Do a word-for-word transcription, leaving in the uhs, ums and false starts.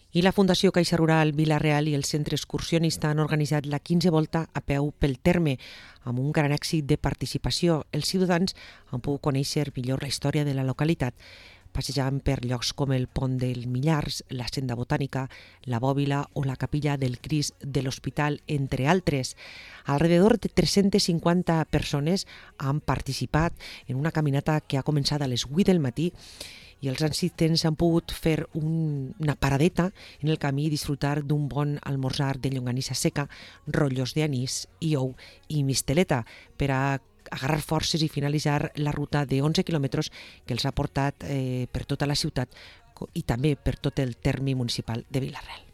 I la Fundació Caixa Rural Vila-real i el Centre Excursionista han organitzat la quinzena volta a peu pel terme, amb un gran èxit de participació. Els ciutadans han pogut conèixer millor la història de la localitat, passejant per llocs com el Pont del Millars, la Senda Botànica, la Bòbila o la Capilla del Crist de l'Hospital, entre altres. Alrededor de tres-centes cinquanta persones han participat en una caminata que ha començat a les vuit del matí i els assistents han pogut fer un, una paradeta en el camí i disfrutar d'un bon almorzar de llonganissa seca, rotllos d'anís i ou i misteleta per a agarrar forces i finalitzar la ruta de onze quilòmetres que els ha portat eh, per tota la ciutat i també per tot el terme municipal de Vila-real.